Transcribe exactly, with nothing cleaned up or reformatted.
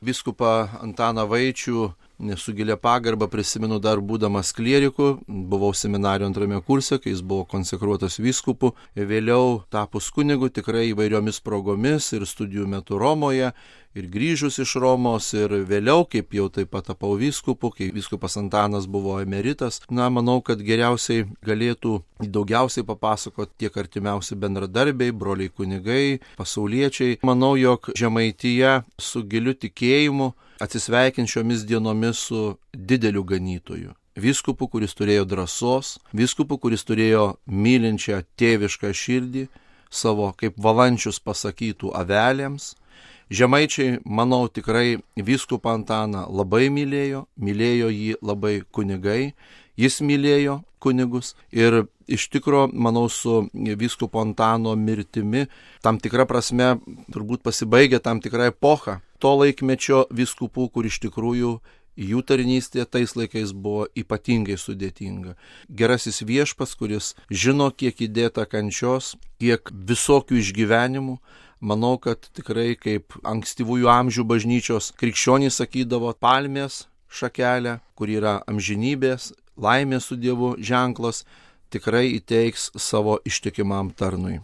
vyskupą Antaną Vaičių su gilia pagarba prisimenu dar būdamas klieriku, buvau seminarijos antrame kurse, kai jis buvo konsekruotas vyskupu, vėliau tapus kunigu tikrai įvairiomis progomis ir studijų metu Romoje, ir grįžus iš Romos, ir vėliau, kaip jau taip pat tapau vyskupu, kai vyskupas Antanas buvo emeritas. Na, manau, kad geriausiai galėtų daugiausiai papasakoti tiek artimiausi bendradarbiai, broliai kunigai, pasauliečiai. Manau, jog Žemaitija su giliu tikėjimu atsisveikins šiomis dienomis su dideliu ganytoju. Vyskupu, kuris turėjo drąsos, vyskupu, kuris turėjo mylinčią tėvišką širdį, savo kaip valančius pasakytų avelėms. Žemaičiai, manau, tikrai vyskupą Antaną labai mylėjo, mylėjo jį labai kunigai, jis mylėjo kunigus ir iš tikro, manau, su vyskupo Antano mirtimi tam tikra prasme turbūt pasibaigė tam tikra epocha to laikmečio vyskupų, kur iš tikrųjų jų tarnystė tais laikais buvo ypatingai sudėtinga. Gerasis viešpats, kuris žino, kiek įdėta kančios, kiek visokių išgyvenimų, manau, kad tikrai kaip ankstyvųjų amžių bažnyčios krikščionys sakydavo, palmės šakelę, kur yra amžinybės, laimės su Dievu ženklas, tikrai įteiks savo ištikimam tarnui.